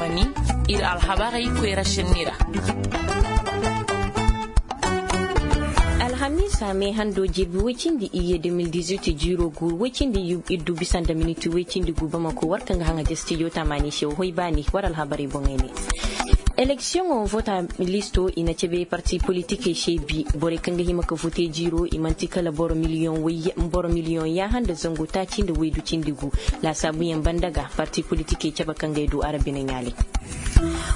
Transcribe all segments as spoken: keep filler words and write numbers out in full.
Iri alhabarey koyra senni ra. Alhamiisa me hando jirbi woy cindi iyye deux mille dix-huit jiiro guuru woy cindi iddu bisa nda miniti woy cindi gu bamako war kaŋ ga haŋa ja stijo tamaani se wo hoy baani war alhabarey boŋey ne. Eleksiyoŋo vota listo i na cabe parti politikey se bi borey kaŋ ga hima ka vote jiiro i manti kala boro miliyoŋ yaaha nda zangu taaci nda waydu cindi gu. Laasaabuyaŋ banda ga parti politikey cabe kaŋ ga ay du arabi na ɲaale.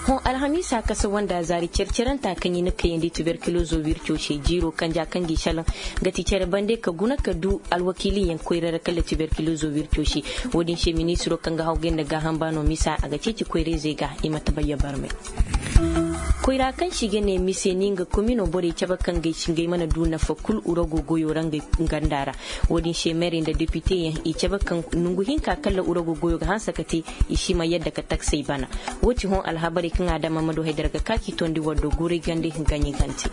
Hõ alhamiisa kasa wanda zaari care-caranta kaŋ i na kayandi tuberkulozo wirco se jiiro kanja kaŋ ga i salaŋ ga ti care bande ka guna ka du alwakiiliyaŋ koyra ra kala tuberkulozo wirco se. Wo- din se ministiro kaŋ ga hawgay nda gaaham baano misa a ga ceeci koyrayzey ga i ma tabayya barmay. Koyra kaŋ se i ga ne mise ni nga komino borey cabe kaŋ ga ay si ngey mana du nafa kulu urago goyo ra ngey ganda ra. Wo- din se meerey nda depiteyaŋ i cabe kaŋ nongu hinka kala urago goyo ga hanse ka te i si ma yadda ka taksey bana. Wo- ti hõ alhabarey kaŋ a daŋ ma ma du haydara ga ka k'i tondi war do guuray gande gaɲi gante.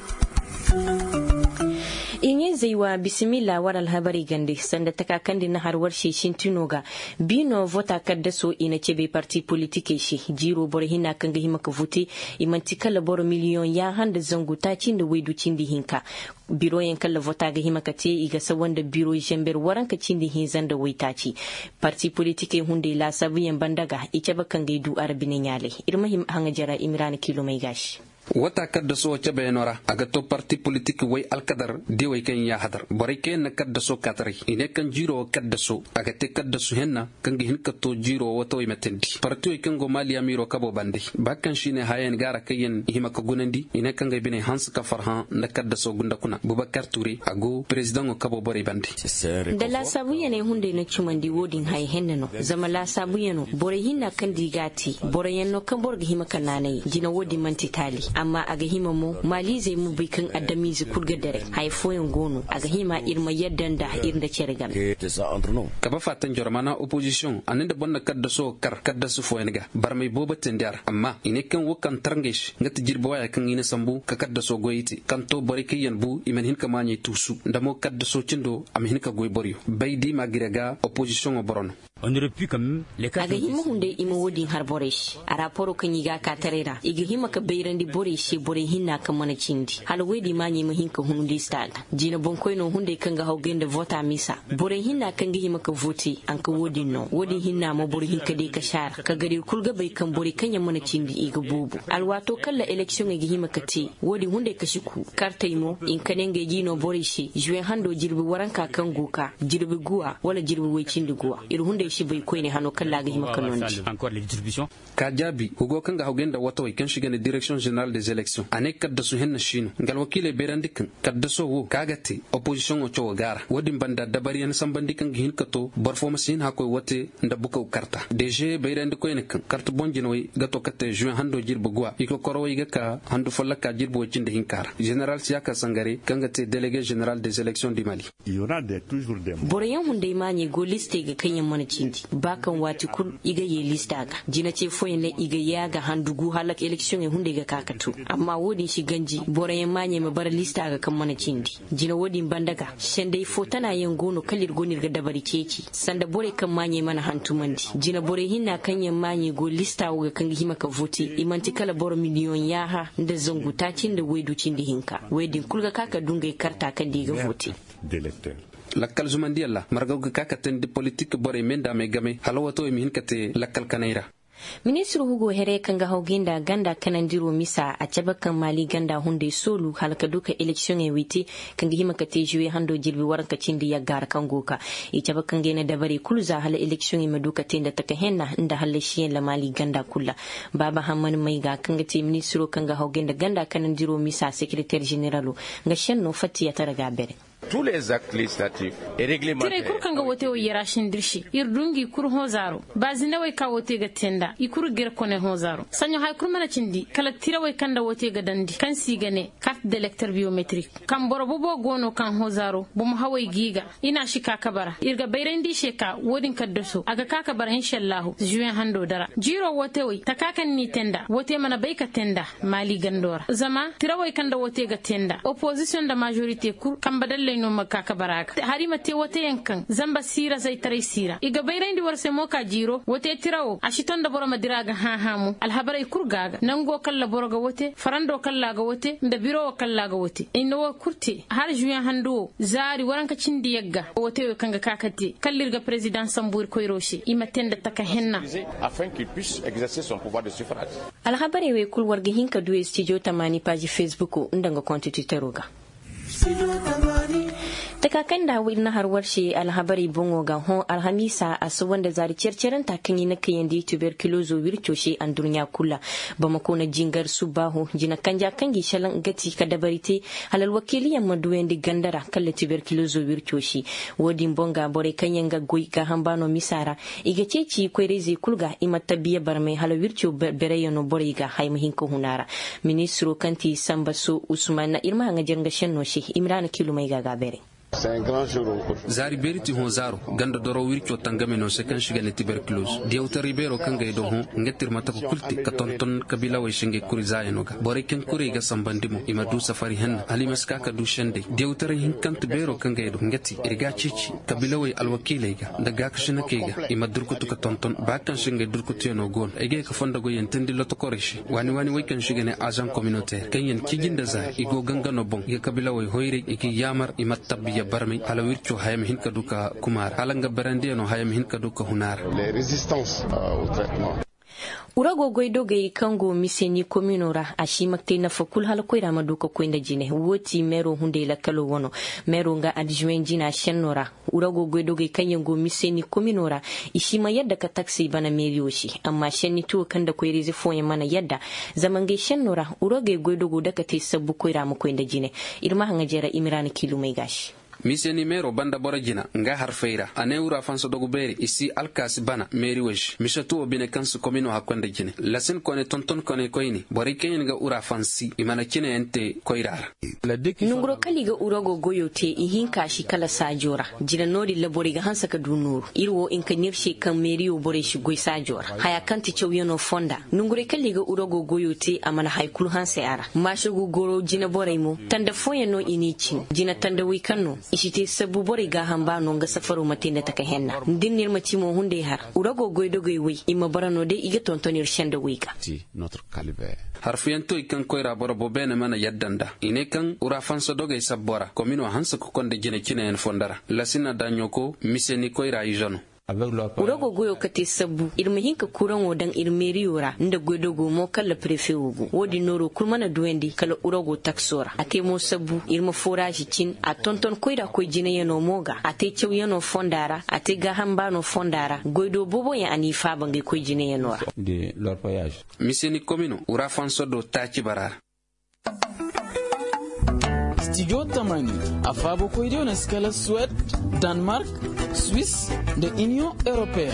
I ɲayzey wa bisimilla war alhabarey gande sanda taka kaŋ din na har war se sintino ga. Biino vota kaddaso i na cabe parti politikey se. Jiiro boro hinna kaŋ ga hima ka vote i manti kala boro miliyoŋ yaaha nda zangu taaci nda waydu cindi hinka. Biroyaŋ kala vota ga hima ka te i ga sawa nda biro zamber waranka cindi hinza nda waytaaci. Parti politikey hunday laasaabuyaŋ banda ga i cabe kaŋ ga ay du arabi na ɲaale. Iri ma hima haŋa jara imiraana kiilomey ga se. Wata kaddaso cabeyaŋo ra a ga to parti politik way alkadar diyawey kaŋ yaŋ yaahadar borey kaŋ yaŋ na kaddaso kaataray i ne kaŋ jiiro wo kaddaso a ga te kaddasu henna kaŋ ga hin ka to jiiro wo taway ma teendi partiwey kaŋ go maali amiiro kabo bande ba kaŋ se i ne haya yaŋ gaara kaŋ yaŋ i hima ka gunandi i ne kaŋ ga ay biney hanse ka farhã nda kaddaso gunda kuna bubakar tuure a go perezidaŋo kabo borey bande. Nda laasaabuyaney hunday na cumandi wo- din haya henna no zama laasaabuyaŋo borey hinna kaŋ di ga a te boroyaŋ no kaŋ boro ga hima ka naanay jina wo- din manti taali amma a ga hima mo maaliizey ma bay kaŋ adamiize kulu ga dare haya fooyaŋ go no a ga hima iri ma yadda nda iri nda care game. Kabe faatan joro maana opozisiyoŋo a ne nda boro na kaddaso kar kaddasu fooyaŋ ga barmey boobo teendi a ra amma i ne kaŋ wo kaŋ tar ngey se nga ti jirbi waaya kaŋ i na sambu ka kaddaso goyey te kaŋ to borey kaŋ yaŋ bu i mana hin ka maaɲey tuusu nda mo kaddaso cindo a ma hin ka goy boroyo bay da i ma a gire ga opozisiyoŋo boro no. A ga hima hunday i ma wo- din har borey se. A raaporo kaŋ i ga a ka taray ra i ga hima ka bayrandi borey se borey hinna kaŋ mana cindi hala wo- din maaɲey ma hin ka hun liista ga. Jina boŋkoyno hunday kaŋ ga hawgay nda vota misa borey hinna kaŋ ga hima ka vote a nka wo- din no wo- din hinna mo boro hinka day ka saara ka gar iri kulu ga bay kaŋ borey kaŋ yaŋ mana cindi i ga boobo alwaato kala eleksiyoŋey ga hima ka te. Wo- din hunday kasi ku kartey mo i nka ne ngey ga i no borey se zuwe hando jirbi waranka kaŋ go ka jirbi guwa wala jirbi way cindi guwa iri hunday si bay koyne hano kala a ga hima ka nondi. Ka jaabi hugo kaŋ ga hawgay nda watawey kaŋ se i ga ne direksiyoŋ zeneral des eleksion a ne kaddasu henna si no nga alwakiiley bayrandi kaŋ kaddaso wo kaŋ a ga te opozisiyoŋo cawo gaara wo- din banda dabariyaŋ sambandi kaŋ ga hin ka to boro fo ma si hin hakkoy wate nda bukaw karta deže bayrandi koyne kaŋ karta boŋ jinawey ga to ka te zuwe hando jirbi guwa i kokorowey ga ka handu folloka jirbi way cindi hinka ra zeneral siyaka sangare kaŋ ga te delege zeneral des eleksion du mali. Boroyaŋ hunday maaɲey go listey ga kaŋ yaŋ mana cindi ba kaŋ waati kulu i ga ye lista ga jina ce fooyaŋ ne i ga ye a ga handu gu hala eleksiyoŋey hunday ga ka ka to amma wo- din si ganji boroyaŋ maaɲey ma bara lista ga kaŋ mana cindi. Jina wo- din banda ga sendey fo tana yaŋ go no kala iri go no iri ga dabari ceeci sanda borey kaŋ maaɲey mana hantumandi jina borey hinna kaŋ yaŋ maaɲey go lista wo ga kaŋ ga hima ka vote i manti kala boro miliyoŋ yaaha nda zangu taaci nda waydu cindi hinka wey din kulu ga ka ka du ngey karta kaŋ da i ga vote. Lakkal zumandiyaŋ ra margaw ga ka ka teendi politik borey me nda me game hala wato i ma hin ka te lakkal kanay ra. Ministir hugo here kaŋ ga hawgay nda ganda kanandiro misa a cabe kaŋ maali ganda hunday soolu hala ka du ka eleksiyoŋey wite kaŋ ga hima ka te zuwe hando jirbi waranka cindi yagga ra kaŋ go ka i cabe kaŋ ga ay na dabarey kulu za hala eleksiyoŋey ma du ka te nda taka henna nda hallasiyaŋ ra maali ganda kulu ra. Baaba hammani mayga kaŋ ga te ministiro kaŋ ga hawgay nda ganda kanandiro misa sekereteer zeneralo nga senno fattiyatara ga bere. Tiray kulu kaŋ ga woote wo yera sinda iri se iri du nga i kulu hõ zaaro ba zinawey ka woote ga te nd'a i kulu ga iri kone hõ zaaro saɲo hari kulu mana cindi kala tirawey kaŋ nda woote ga dandi kaŋ se i ga ne kart delekter biyometrik kaŋ boro bobo go no kaŋ hõ zaaro bomo hawey g'i ga i n'a si ka kabe ra iri ga bayrandi i se ka wo- din kaddaso a ga ka kabe ra insa allahu zuwe hando dara jiiro wootewey taka kaŋ n'i te nd'a woote mana bay ka te nd'a maali gando ra zama tirawey kaŋ nda woote ga te nd'a opozisiyoŋ nda maazorite kulu kambe dalley. No ma ka ka bara ga hari ma te woote yaŋ kaŋ zamba siira zaytaray siira i ga bayrandi war se mo ka jiiro woote tira wo a si to nda boro ma dira ga hã hã mo alhabarey kulu ga ga nango kaŋ laboro ga woote farando kaŋ laaga woote nda biro wo kaŋ laaga woote i na wo kulu te hala zuyaŋ handu wo zaari waranka cindi yagga woote wo kaŋ ga ka ka te kala iri ga perezidaŋ sambu iri koyro se i ma te nda taka henna. Alhabarey wey kulu war ga hin ka du studio tamaani paazi fesbuko nda nga konti twitero ga. Taka kaŋ nda iri na har war se alhabarey boŋo ga hõ alhamiisa a si wanda zaari care caranta kaŋ i na kayandi tuberkulozo wirco se andurɲa kulu ra. Bamako na jingar subbaaho jina kanja kaŋ ga i salaŋ gati ka dabari te hala alwakiiliyaŋ ma duyandi ganda ra kala tuberkulozo wirco se. Wo- din boŋ ga borey kaŋ yaŋ ga goy gaaham baano misa ra i ga ceeci koyrayzey kulu ga i ma tabbiya barmay hala wirco bereyaŋo borey ga haya ma hin ka hun a ra. Ministiro kaŋ ti samba so usman iri ma haŋajer nga senno se. Imiraana kilumay ga ga beeray. Zaari beeri ti hõ zaaro ganda doro wirco tangame no se kaŋ si ga ne tiberkuloz diyawtaray beero kaŋ ga ay do hõ nga ti iri ma taka kulu te ka tonton kabiilawey se ngey kuri zaayano ga borey kaŋ kuri ay ga sambandi mo i ma du safari henna hala i ma si ka ka du sendey diyawtaray hinkante beero kaŋ ga ay do nga ti iri ga a ceeci kabiilawey alwakiiley ga nda gaakasinakey ga i ma durkutu ka tonton ba kaŋ se ngey durkutuyano go no ay ga ye ka fondo goyyaŋ teendi lotokorey se waani waani wey kaŋ se i ga ne azaŋ kominoteer kaŋ yaŋ ciji nda zaari i go gangano boŋ i ga kabiilawey hoyray i ga yaamar i ma tabbiya barmay hala wirco haya ma hin ka du ka kuma a ra hala nga berandiyano haya ma hin ka du ka hun a ra. Urago goydogey kaŋ go miseni komino ra a si ma te nafa kulu hala koyra ma du ka koy nda jine wo ti meero hunday lakkalo wano meero nga adzuwen jina senno ra. Urago goydogey kaŋ yaŋ go miseni komino ra i si ma yadda ka taksey bana meeriyo se amma senni tuwo kaŋ nda koyra-ize fooyaŋ mana yadda. Zama ngey senno ra uragey goydogo dake te sabbu koyra ma koy nda jine. Iri ma haŋajeera imiraana kiilumey ga se. Mise ni meero banda boro jina nga harfey ra a ne wura fansa dogu beeri i si alkaasi bana meeri wo se mise tuwo bine kaŋ si komino hakkoy nda jine lasin kone tonton kone koyne borey kaŋ yaŋ ga wura fansi i mana cine yaŋ te koyra ra. Nonguro kala i ga urago goyo te ihinka si kala saajo ra. Jina no- din ra borey ga hanse ka du nooru iri wo hinka no iri se kaŋ meeriyo borey si goy saajo ra haya kaŋ ti cawyaŋo fonda. Nongurey kala i ga urago goyo te a mana hari kulu hanse a ra maasogu goro jina borey mo tanda fooyaŋ no i n'i cin jina tanda wey kaŋ no i si te sabbu borey gaaham ba no nga safaro ma te nda taka henna. Da iri na iri ma ci mo hunday har urago goydogey wey i ma bara no day i ga tonton iri senda wey ga. Harfuyaŋ to i kaŋ koyra boro bo beene mana yadda nda i ne kaŋ urafansa dogey sabbo ra komino hanse ka konda jine cineyaŋ fondo ra. Lasina daɲoko mise ni koyra ize no. Urago goyo ka te sabbu iri ma hin ka kuraŋo daŋ iri meeriyo ra nda goydogo mo kala prefe wo go wo- din nooro kulu mana duyandi kala urago takso ra a te mo sabbu iri ma foraazi cin a tonton koyra koy jinayaŋo mo ga a te cawyaŋo fonda ra a te gaaham baano fonda ra goydo booboyaŋ a n'i faaba ngey koy jinayaŋo ra. Mise ni komino urafansa do taaci bara ra. Studio tamani a faabo koydiyo no si kala suwed, danmark, swiss, nda union europeen.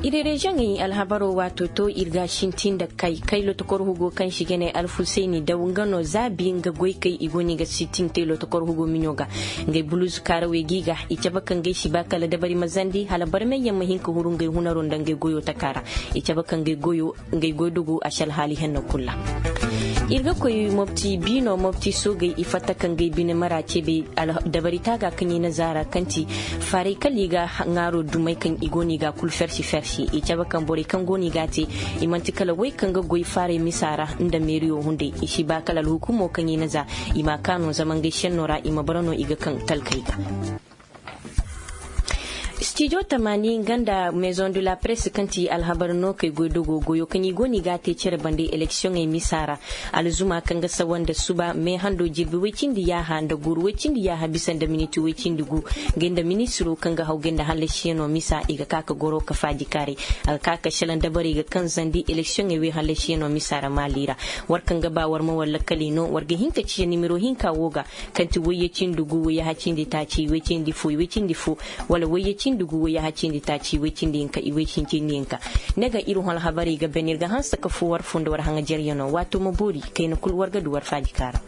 Iri reziyoŋey alhabaro waato to iri ga a sintin nda kay kay lotokor hugo kaŋ si ga ne alfusayni daw nga no zaabi nga goykey i go no i ga sintin te lotokor hugo miɲo ga. Ngey buluuzu kaarawey g'i ga i cabe ka ngey si ba kala dabari ma zandi hala barmey yaŋ ma hin ka huru ngey hunaro nda ngey goyo taka ra. I cabe ka ngey goyo ngey goydogo a si alhaali henno kulu ra. Iri ga koy mopti biino mopti soogey i fatta ka ngey bine mara ceebey dabari taaga kaŋ i na zaara kaŋ ti faarey kala i ga ŋaaro dumey kaŋ i go no i ga kulu fersi fersi i cabe kaŋ borey kaŋ go no i ga a te. I manti kala wey kaŋ ga goy faarey misa ra nda meeriyo hunday i si ba kala alhukumo kaŋ i na za i m'a kaanu zama ngey senno ra i ma bara no i ga kaŋ talkey ga. Studio tamaani nga nda maison de la presse kaŋ ti alhabar no kay goy dogo goyo kaŋ i go no i ga a te care bande eleksiyoŋey misa ra. Alzuma kaŋ ga sawa nda suba me hando jirbi way cindi yaaha nda guuru way cindi yaaha bisa nda miniti way cindi gu. Ngey nda ministiro kaŋ ga haw gay nda hallasiyaŋo misa i ga ka ka goro ka faaji kaaray. A ga ka ka salaŋ dabarey ga kaŋ zandi eleksiyoŋey way hallasiyaŋo misa ra maali ra. War kaŋ ga ba war ma war lakkali no war ga hin ka ciya nimiro hinka wo ga kaŋ ti wayye cindi gu wayye hacindi taaci iway cindi fo iway cindi fo wala wayye cindi gu wayye hacindi taaci iway cindi hinka iway cindi hinka. Ne ga iri hon alhabarey ga ban iri ga hanse ka fo war fo nda war haŋajeryaŋo waato ma boori kayna kulu war ga du war faaji kaara.